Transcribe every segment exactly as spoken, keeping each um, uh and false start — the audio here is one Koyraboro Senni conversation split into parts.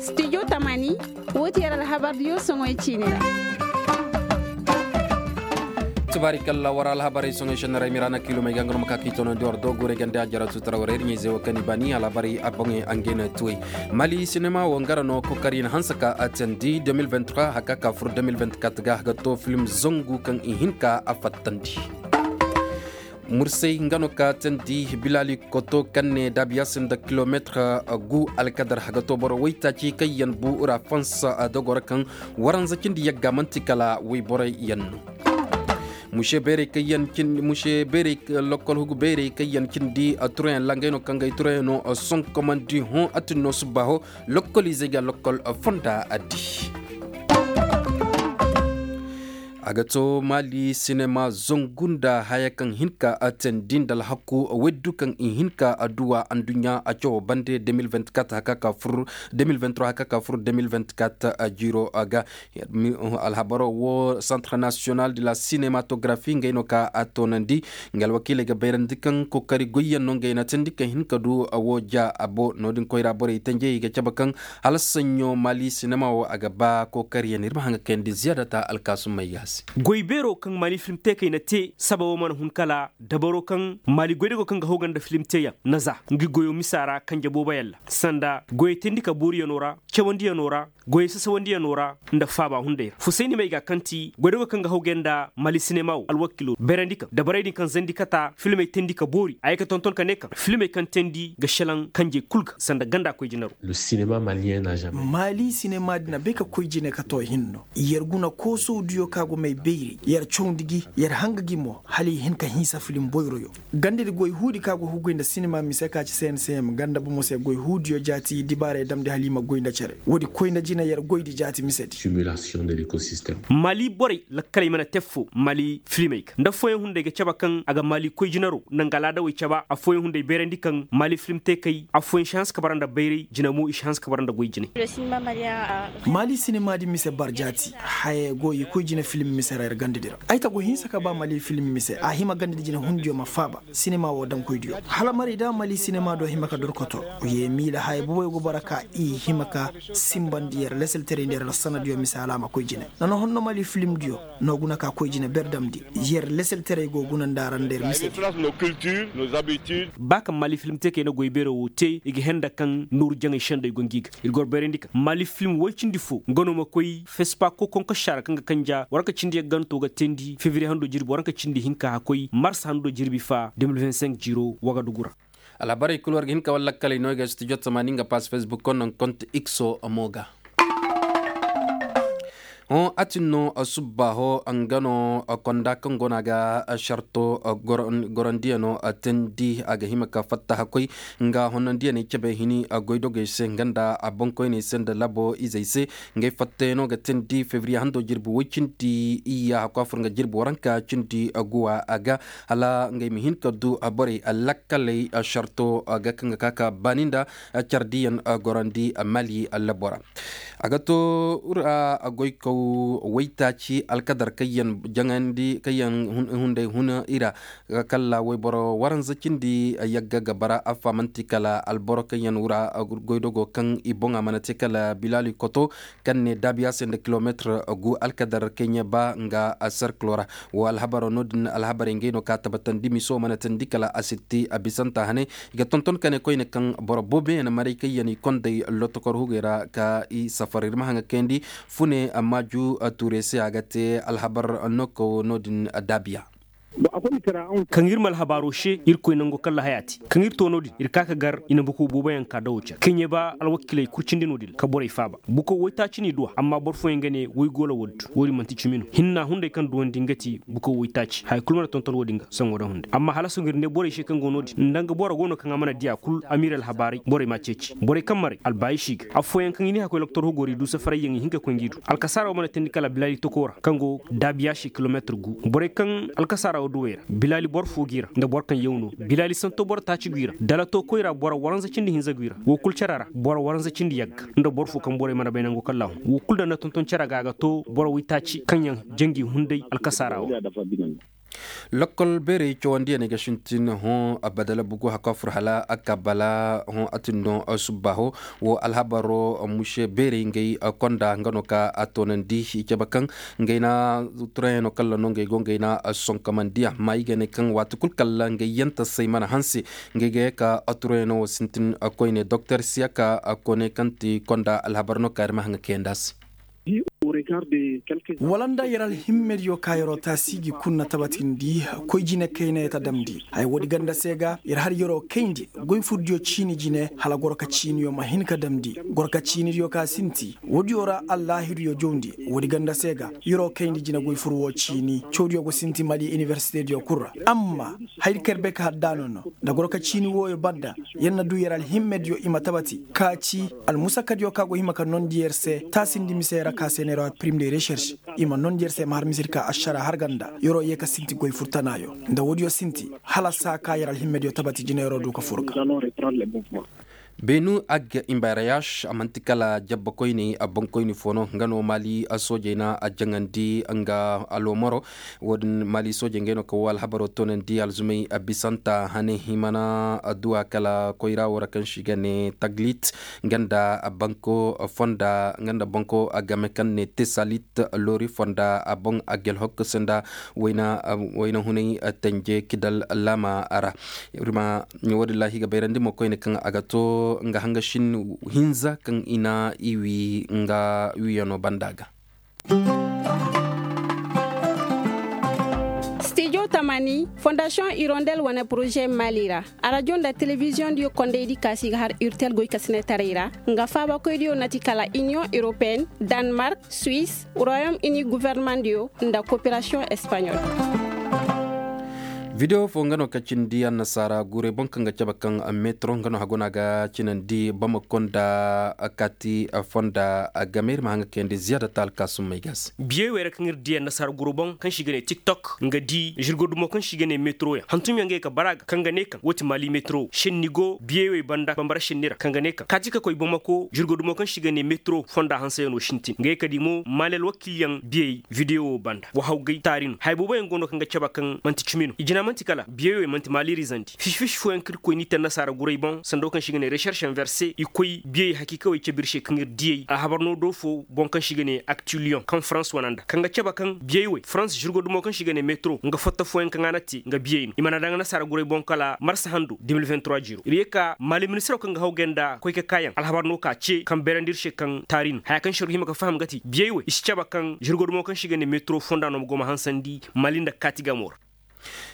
Studio tamani, woo ti yer alhabar diyo soŋoy ciini ra. Tubaari kalla war alhabarey soŋoy sennaray miraana kiilomey ga nga no ma ka ka i tonandi war do guurey gande a jara tutara war ir ɲayze wo kaŋ i baani alhabarey a boŋey a ngey na tuwey. Mali sinema wo nga ra no kokari na hanse ka a teendi deux mille vingt-trois haka ka fur deux mille vingt-quatre ga ga to film zangu kaŋ i hin ka a fattandi. Mursay nga no ka teendi bilali koto kaŋ ne daabiya se nda kilometre gu alkadar haga to boro waytaaci kaŋ yaŋ bu ra fansa dogoro kaŋ waranza cindi yagga man'ti kala wayborey yaŋ no. Muse beerey kaŋ yaŋ cindi muse beerey lokkol hugu beerey kaŋ yaŋ cindi turayaŋ ra ngey no kaŋ ga ay turayaŋ no sonkomandi hõ a tun no subba hõ. Lokkol izey ga lokkol fonda addi. A ga to maali sinema zangu nda haya kaŋ hin ka a teendi nda alhaku weddu kaŋ i hin ka a duwa anduɲɲa a cawo bande deux mille vingt-quatre haka ka fur deux mille vingt-trois haka ka fur deux mille vingt-quatre jiiro ga. Alhabaro wo centre national de la cinematographie ngey no ka a toonandi. Nga alwakiiley ga bayrandi kaŋ kookari goyyaŋ no ngey na teendi kaŋ hin ka du wo ja a bo no- din koyra borey tenjey i ga cabe kaŋ hala saɲɲo maali sinema wo a ga ba kookariyaŋ ir ma haŋ ga kayandi ziyaadata alkaasumey ga a se. Goy beero kaŋ maali film teekey na te saba wo mana hun kala dabaro kaŋ maali goydogoo kaŋ ga haw ga nda film teeyaŋ na za ngi goyo misa ra kanje booboyaŋ ra sanda goyey teendi ka booriyaŋo ra cawandiyaŋo ra goyey sasawandiyaŋo ra nda faaba hunday ra fusayni may ga kaŋ ti goydogoo kaŋ ga haw ga nda maali sinema wo alwakiilo bayrandi kaŋ dabarey din kaŋ zandi kata filmey teendi ka boori a ye ka tonton ka ne kaŋ filmey kaŋ teendi ga šelaŋ kanjey kul ga sanda ganda koy jinaro. Maali sinema din a bay ka koy jine ka to hinno yer guna koosowdiyo ka go may bayray yer cawndi gi yer hanga gi mo hala i hin ka hinsa filim boyroyo. Gandadi goy huudi ka go huguy nda sinema mise ka ci cncm ganda bomo se goy huudiyo jaati dibaaray damndi hala i ma goy nda cere woodi koy nda jina yer goydi jaati misedi. Mali borey lakkaley mana te affoo mali filimey ga nda affooyaŋ hunday ga cabe kaŋ a ga mali koy jinaro nda nga alaadawey cabe affooyaŋ hunday bayrandi kaŋ mali filim teekey affooyaŋ si hanse ka bara nda bayray jina mo i si hanse ka bara nda goy jinay. Mali sinema di mise bar jaati haya go i koy jina filim mise ra ir gandadi ra ay ta go hinsa ka ba mali filim mise a hima gandadi jina hundiyo ma faaba. Sinema wo daŋkoydiyo hala maray da mali sinema do hima ka dorkoto ye miila haya boboyo go bara ka i hima ka simbandi yer leseltaray nda yer sanadiyo mise hala a ma koy jine. Nana honno mali filimdiyo no guna ka koy jine ber damndi yer leseltaray go guna nda ra nda yer misedi. Ba kaŋ mali filim te kay na goy beero wo te i ga henda kaŋ nooru jaŋay sendey go ngi ga ir goro bayrandi kaŋ mali filim woy cindi fo nga no ma koy fespa kokoŋ ka saara kaŋ ga kanja waranka cindi yagganto ga teendi febriye hando jirbi waranka cindi hinka hakkoy mars hando jirbi fa deux mille vingt-cinq jiiro wagadugu ra. Alhabarey kul war ga hin ka war lakkaley no i ga studio tamani nga pass facebook konno nga konte ikso mo ga. Hõ a tin no subba hõ nga no konda kaŋ go no a ga sarto gorandiyano teendi a ga hima ka fatta hakkoy nga honnandiyaney cabe hini goydogey se nga nda a boŋkoyney se nda labo izey se. Ngey fattayano ga teendi febriye hando jirbi woy cindi iyya hakku a fur nga jirbi waranka cindi guwa a ga hala ngey ma hin ka du borey lakkaley sarto ga kaŋ ga ka ka baani nda cardiyaŋ gorandi mali labo ra. A ga to ura goykaw waytaaci alkadar kaŋ yaŋ jaŋandi kaŋ yaŋ hunday hun i ra. Kala wayboro waranza cindi yagga ga bara affa man'ti kala alboro kaŋ yaŋ wura goydogo kaŋ i boŋa mana te kala bilali koto kaŋ ne daabiya se nda kilometre gu alkadar keɲe ba nga serkilo ra. Wo alhabaro no- din alhabarey ngey no ka tabatandi miso mana teendi kala a sitti a bisanta hane. I ga tonton ka ne koyne kaŋ boro booboyaŋ maray kaŋ yaŋ i kondey lotokor hugey ra ka i safar ir ma haŋ ga kayandi fune maaju tuure se a ga te alhabar nooko no- din daabiya. Kaŋ ir ma alhabaaro se irkoy nango kalla haya te kaŋ ir to no- din ir ka ka gar i na bukow booboyaŋ ka dawo care kaŋ ye ba alwakiiley kurcindi no- din ka borey faaba. Bukow woytaaci n'i duw'a amma boro fooyaŋ ga ne woy goolo woo- din wo- din man'ti cimi no hinna hunday kaŋ duwandi nga ti bukow woytaaci haya kul mana tonton wo- din ga saŋo da hunday amma hala sohõ ir ne borey se kaŋ go no- din nda nga boro go no kaŋ a mana diya kul a ma ir alhabaarey borey m'a ceeci borey kaŋ maray albaayiši ga affooyaŋ kaŋ i ne hakkoy loktor hugo ra i du safarayyaŋ i hin ka koy ngi du alkasaara wo mana teendi kala bilaali toko ra kaŋ go daabiya se kilometir gu borey kaŋ alkasaara wo duwey ra bilaali boro fo g'i ra nda boro kaŋ yaw no bilaali santo boro taaci g'i ra dalato koyra boro waranza cindi hinza g'i ra wo kul care ra boro waranza cindi yagga nda boro fo kaŋ borey mana bay nango kaŋ ra hun wo kul daŋ na tonton care ga a ga to boro waytaaci kaŋ yaŋ jangi hunday alkasaara wo. Lokkol beerey cawandiyaney ga sintin hõ badala bugu hakafur hala a ka bala hõ a tinno subbaho. Wo alhabaro muse beerey ngey konda nga no ka a toonandi i cabe kaŋ ngey na turayano kalla no ngey go ngey na sonkomandiya ma i ga ne kaŋ waati kul kalla ngey yantasey mana hanse ngey ga ye ka turayano wo sintin koyne doktor siyaka kone kaŋ ti konda alhabar no ka ir ma haŋa kayandi a se. Wala nda yer alhimmediyo ka yer'o taasi gi kunna tabatindi koy jine kayna yeta damndi haya woodi ganda se ga yer har yer'o kayndi goy furdiyo ciini jine hala gorka ciiniyo ma hin ka damndi gorka ciinidiyo ka sinti woodiyo ra allaahiruyo jawndi woodi ganda se ga yer'o kayndi jine goy fur wo ciini cawdiyo go sinti mali inibersitediyo kul ra amma hayri kaŋ yer bay ka haddaano no nda gorka ciini wooyo banda yer na du yer alhimmediyo i ma tabati ka ci almusakadiyo ka go hima ka nondi yer se taasindi mise ra ka se neera pirim de recherche i ma nondi yer se ma har misir ka ašara har ganda yer'o ye ka sinti goy furtanaayo nda woodiyo sinti hala saa ka yer alhimmediyo tabati jina yer'o du ka fur ga beenu agga imbarayas a man'ti kala jabba koyne a boŋ koyne fo no nga no maali soojey na a jaŋandi nga aloomaro. Wo-din maali soojey ngey no kaŋ wo alhabaro toonandi alzumey bisanta hane himana adduwa kala koyra wo ra kaŋ se i ga ne taglit nga nda banko fonda nga nda banko game kaŋ ne tesalit loori fonda a boŋ a gelhok se nda wayna hunay tanje kidal laama ra. Wo-din laahi ga bayrandi mo koyne kaŋ a ga to nga hanga shin hinza kaŋ i na i wi nga wiyano banda ga. Stijo tamani fondasiyoŋ irondel wane poroze mali ra arajo nda telebiziyoŋ diyo kondey di kaasi ga har urtel goy kasinetaray ra nga faabakoy diyo na ti kala iniyoŋ europeyenne, danmark, suisse, royaume uni guvernement diyo nda koperasiyoŋ espaɲol. Video fo nga no ka cindi annasaara guurey boŋ kaŋ ga cabe kaŋ metro nga no hagu no a ga cinandi bamako nda kaati fonda game ir ma haŋ ga kayandi ziyaada ta alkaasum may ga se. Biyey wey ra kaŋ ir di annasaara guurey boŋ kaŋ se i ga ne tiktok nga di zirgo dumo kaŋ se i ga ne metro yaŋ hantum yaŋ ga ye ka bara ga kaŋ ga ne kaŋ wo ti maali metro senni go biyey wey banda bambara senni ra kaŋ ga ne kaŋ kaati ka koy bamako zirgo dumo kaŋ se i ga ne metro fonda hanse yaŋ no sintin nga ye ka di mo maali alwakil yaŋ biyey video wo banda wa hawgay taari no haya boobo yaŋ go no kaŋ ga cabe kaŋ man'ti cimi no i jina man'ti kala biyey wey man'ti maali rizandi fisi fisi fooyaŋ kaŋ ir koy n'i te annasaara guray boŋ sanda wo kaŋ se i ga ne recherche inverse i koy biyey hakiika wey cabe ir se kaŋ ir diyey alhabar no do fo boŋ kaŋ se i ga ne aktulion kaŋ farans wane nda kaŋ ga cabe kaŋ biyey wey farans zirgo dumo kaŋ se i ga ne metro nga fatta fooyaŋ kaŋ a na te nga biyey no i mana daŋ annasaara guray boŋ kala marsa hando de mil vingt trois jiro ir ye ka maali ministiro kaŋ ga hawgay nda koy ka kaayaŋ alhabar no ka ce kaŋ beerandi ir se kaŋ taari no haya kaŋ se ir ga hima ka faham ga ti biyey wey i si cabe kaŋ zirgo dumo kaŋ se i ga ne metro fonda no ma go ma hansandi maali nda kaati gamo ra.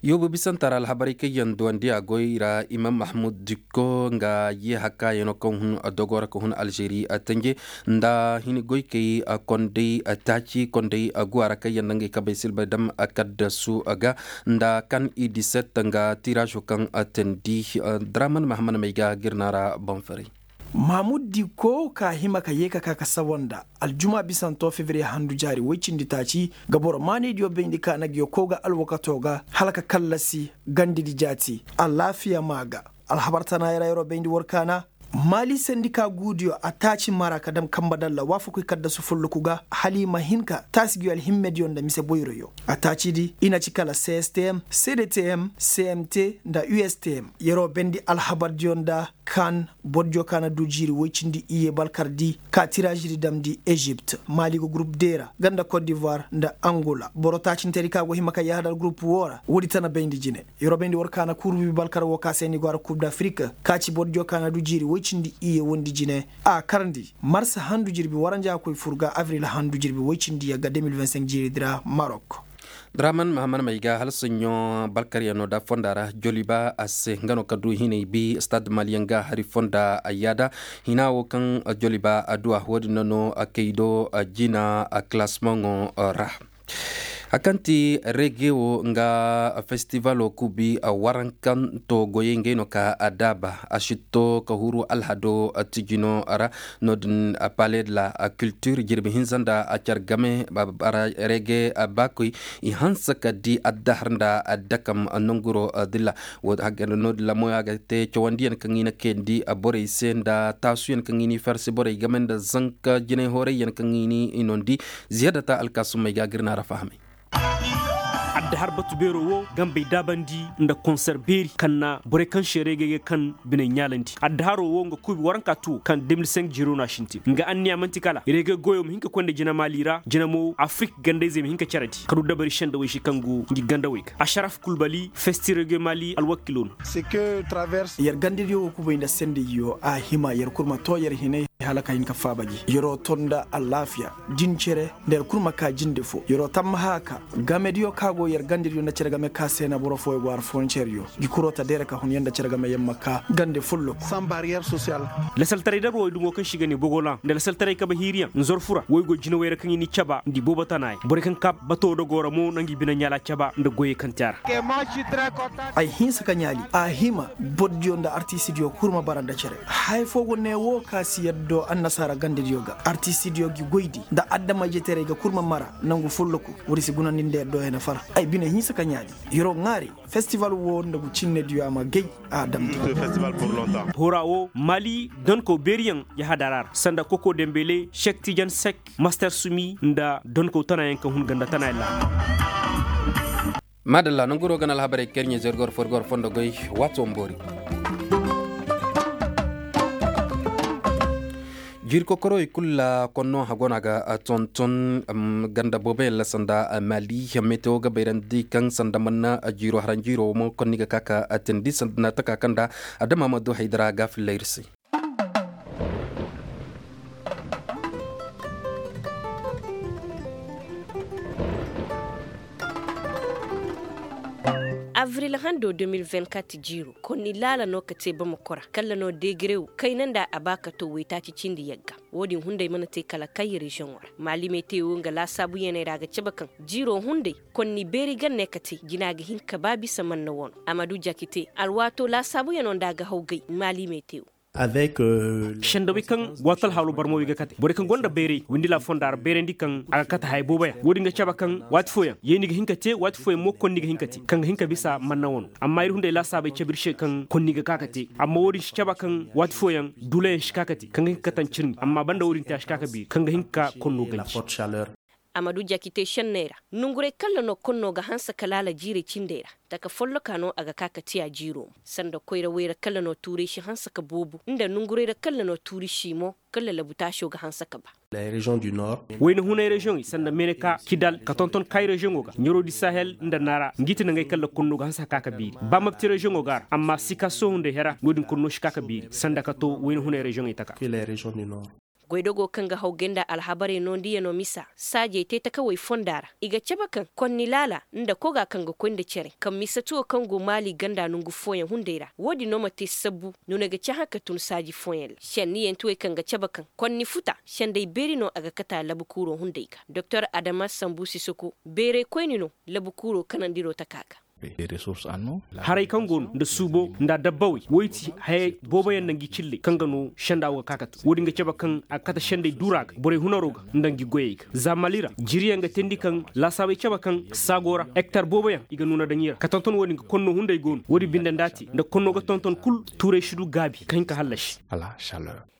Yoobo bisanta ra alhabarey kaŋ yaŋ duwandi a goy ra imam mahmud dikko nga ye hakkaayano kaŋ hun dogo ra ka hun alžeri tanje nda hini goykey kondey taaci kondey guwa ra kaŋ yaŋ nda ngey kabey silbay dam kaddasu ga nda kan i diset nga tirazo kaŋ tandi draman mahamman may ga girna ra boŋ ferey. Maamud diko ka hima ka ye ka ka ka sawa nda aljuma bisanto fevriye handu jaari woy cindi taaci ga boro maanaydiyo bayndi ka na ga yo kow ga alwakato ga hala ka kallasi gandidi jaati alaafiya maa ga. Alhabar tana yara yaro bayndi war kaana maali sandika guudiyo a taaci mara ka dam kamba dalla waafakuy kaddasu folloku ga hala i ma hin ka taasi gi alhimmediyo nda mise boyroyo. A taacidi i na ci kala cstm cdtm cmt nda ustm yaro bayndi alhabardiyo nda kan bordiyo ka na du jiiri woy cindi iyye balkardi ka tiraazidi damndi ezipt maali go gurup de ra nga nda kot divoir nda angola boro taacintedi ka go hima ka yahadal gurup woo ra woodi tana bayndi jine. Yorobayndi war ka na kurubi balkar woo ka se ni go a ra kup d'afrik ka ci bordiyo ka na du jiiri woy cindi iyye wondi jine a karndi marsa handu jirbi waranja koy fur ga avril handu jirbi woy cindi yagga de mil vingt cinq jiiridi ra marok. Draman mahaman may ga hala soɲɲo balkaryaŋo da fonda ra joliba a se nga no ka du hinay bi stade maliyaŋ ga hari fonda a yaada hina wo kaŋ joliba a duwa wo- din no no a kaydo a jina a classemaŋo ra. Hari kaŋ ti rege wo nga festivalo kubi warankanto goyey ngey no ka a daaba a sitto ka huru alhado tijino ra. No- din palais de la culture jirbi hinza nda a care game rege baakoy i hanse ka di addahar nda addakam nanguro dilla. No- din lamoyo a ga te cawandiyaŋ kaŋ i na kayandi borey se nda taasuyaŋ kaŋ i n'i farse borey game nda zanka jinay hoorayyaŋ kaŋ i n'i nondi. Ziyadata alkaasumey ga a ga ir naara fahamay. Addahaar batu beeroo woo gambey daabandi nda konser beeri kaŋ na borey kaŋ se reegey ga kaŋ biney ɲaalandi addaharoo woo nga kuubi waranka tuwo kaŋ de mil cinq jiro no a sintin nga anniya man'ti kala reegey goyoo ma hin ka koy nda jina maali ra jina mo afirik ganda-izey ma hin ka cere di ka du dabari sendawey se kaŋ go ngi gandawey ga asharaf kulbali festi reegey maali alwakiiloo no. Yer gandadiyo wo kubay nda sendayyo a hima yer kul ma too yer hinay hala ka hin ka faaba gi yeroo too nda alaafiya din cere nda yer kul ma kaa jinde foo yeroo tammaha ka gamediyo ka go yer gandediyo nda cere game ka se na boro fooyo go har foronceryo gi kuroo ta deere ka hun yer nda cere game yer ma kaa gande folloku. Lasaltaray dabawey dumo kaŋ se i ga ne bogolan nda lasaltaray kabe hiiriyaŋ nzorfu ra woy go jinawey ra kaŋ i n'i caba nda i boobo tanayaŋ borey kaŋ kaa batoo dogoo ra mo na ngi bine ɲaala caba nda goyey kaŋ te a ra. Ay hinsa ka ɲaali a hima bordiyo nda artistidiyo kul ma bara nda cere haya foo go ne woo ka si yaddo annasaara gandediyo ga artistidiyo gi goydi nda adama-ijetaray ga kul ma mara nangu folloku woodi si gunandi nda yaddo hena fara ay bine hinsa ka ɲaali yeroo ŋaaray festival woo nda gu cinnediyo a ma gay a damndi. Hora woo maali donkow beeriyaŋ ya hadara ra sanda koko dembele sek tijan sek master sumi nda donkow tanayaŋ ka hun ganda tanayaŋ laha. Maadalla nanguroo ga na alhabarey kaŋ ir ɲaa zergor forgor fondo goy waati wamboori. Jiiri kokorowey kul ra konno hago no a ga tonton ganda booboyaŋ ra sanda maali metewo ga bayrandi kaŋ sanda manna jiiro haranjiiro mo konni ga ka ka teendi sanda na taka kaŋ nda adama ma du haydara ga filla ir se. Avril hando deux mille vingt-quatre jiiro konni laala no ka te bamako ra kalla no degerew kayna nda a ba ka to waytaaci cindi yagga. Wo-din hunday mana te kala kay reziyoŋo ra maali metewo nga laasaabuyaney ra a ga cabe kaŋ jiiro hunday konni beeri ga ne ka te jina ga hin ka ba bisa manna wano a ma du jakite alwaato laasaabuyano nda a ga haw gay maali metewo. Sendawey kaŋ waati alhaalo barmawey ga kate borey kaŋ gonda bayray windila fonda ra bayrandi kaŋ a ga kate haya booboyaŋ wo-din ga cabe kaŋ waati fooyaŋ yeeni ga hin ka te waati fooyaŋ mo konni ga hin ka te kaŋ ga hin ka bisa manna wano amma ir hunday laasaabey cabe ir se kaŋ konni ga ka ka te amma wo-din si cabe kaŋ waati fooyaŋ duulayaŋ si ka ka te kaŋ ga hin ka kate ncirni amma banda wo-din te a si ka ka beeri kaŋ ga hin ka konno ganji. A ma du jakitey senney ra nonguray kalla no konno ga hanse ka laala jiirey cindey ra taka folloka no a ga ka ka tiya jiiro mo sanda koyra woy ra kalla no tuuray si hanse ka boobo nda nonguray ra kalla no tuuri si mo kalla labutaaso ga hanse ka ba. Wayna hunay reziyoŋey sanda meneka kidal ka tonton kay reziyoŋo ga ɲarodi sahel nda nara ngi ti nangey kalla konno ga hanse ka ka ka beeri ba mabti reziyoŋo ga ra amma sika sohunday hera no-din konno si ka ka beeri sanda ka to wayna hunay reziyoŋey taka. Goydogo kaŋ ga haw gay nda alhabarey noondiyano misa saajey te takawey fonda ra i ga cabe kaŋ konni laala nda koga kaŋ ga koy nda cere kaŋ misatuwo kaŋ go maali ganda nongu fooyaŋ hunday ra wo-din no ma te sabbu nuna ga cahã ka tun saaji fooyaŋ ra senniyantiwey kaŋ ga cabe kaŋ konni futa sendey beeri no a ga kate a labukuuro hunday ga doktor adama sambu sisoko beerey koyni no labukuuro kanandiro taka ga. Haray kaŋ go no nda suubo nda adabbawey woy ti haya booboyaŋ nda ngi cilley kaŋ ga no senda wo ga ka kate wo-din ga cabe kaŋ a ga kate sendey duura ga borey hunaro ga nda ngi goyey ga za mali ra jiriyaŋ ga teendi kaŋ laasaabey cabe kaŋ saago ra ektar booboyaŋ i ga nuuna daŋ i ra ka tonton wo-din ga konno hunday go no wo-din binde nda a te nda konno ga tonton kul tuuray si du gaabi ka hin ka hallasi.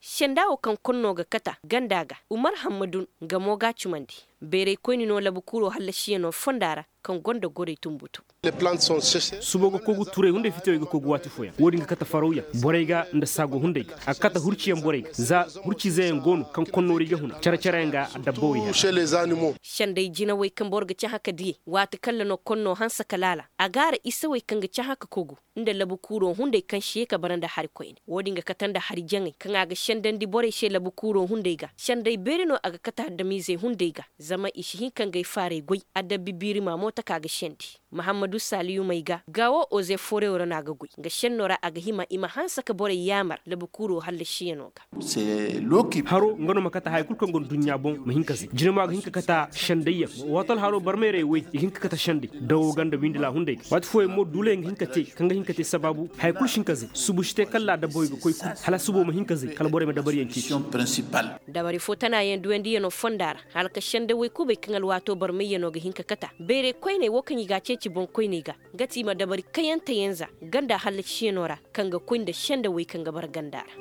Senda wo kaŋ konno ga kata ganda ga umar hammadun nga mo ga a cumandi. Beerey koyni no labukuuro hallasiyano fonda ra kaŋ gonda gorey tumbutu. Suubo ga kogu turay hunday fitewey ga kogu waati fooyaŋ wo-din ga kate farawyaŋ borey ga nda saago hunday ga a ga kate hurciyaŋ borey ga za hurciizeyaŋ go no kaŋ konnoori ga huna care-careyaŋ ga adabbawey hera. Senday jinawey kaŋ boro ga cahã ka diyey waati kalla no konno hanse ka laala a ga a ra isewey kaŋ ga cahã ka kogu nda labukuuro hunday kaŋ si ye ka bara nda hari koyne wo-din ga kate nda hari jaŋey kaŋ a ga sendandi borey se labukuuro hunday ga senday beeri no a ga kate adamiizey hunday ga zama i si hin ka ngey faarey goy adabbi biirima mo taka ga sendi. Mahammadu saaliyumey ga gaawo ozefooreyo ra no a ga goy nga senno ra a ga hima i ma hanse ka borey yaamar labukuuro hallasiyano ga. Haro nga no ma kate haya kul kaŋ go nda duɲɲa boŋ ma hin ka zay jine mo a ga hin ka kate sendayyaŋ waato alharo barmayrey wey i ga hin ka kate senday dawo ga nda windila hunday ga waati fooyaŋ mo duulayaŋ ga hin ka te kaŋ ga hin ka te sabaabu haya kul si hin ka zay subu si te kala dabbawey ga koy kul hala subo ma hin ka zay kala borey ma dabariyaŋ ceeci. Dabari fo tanaayaŋ duwandiyano fonda ra hala ka sendawey kubay kaŋ alwaato barmayyano ga hin ka kate a beerey koyney wo kaŋ i ga a ceeci boŋkoyney ga nga ti i ma dabari kayanteyaŋ za ganda hallasiyano ra kaŋ ga koy nda sendawey kaŋ ga bara ganda ra.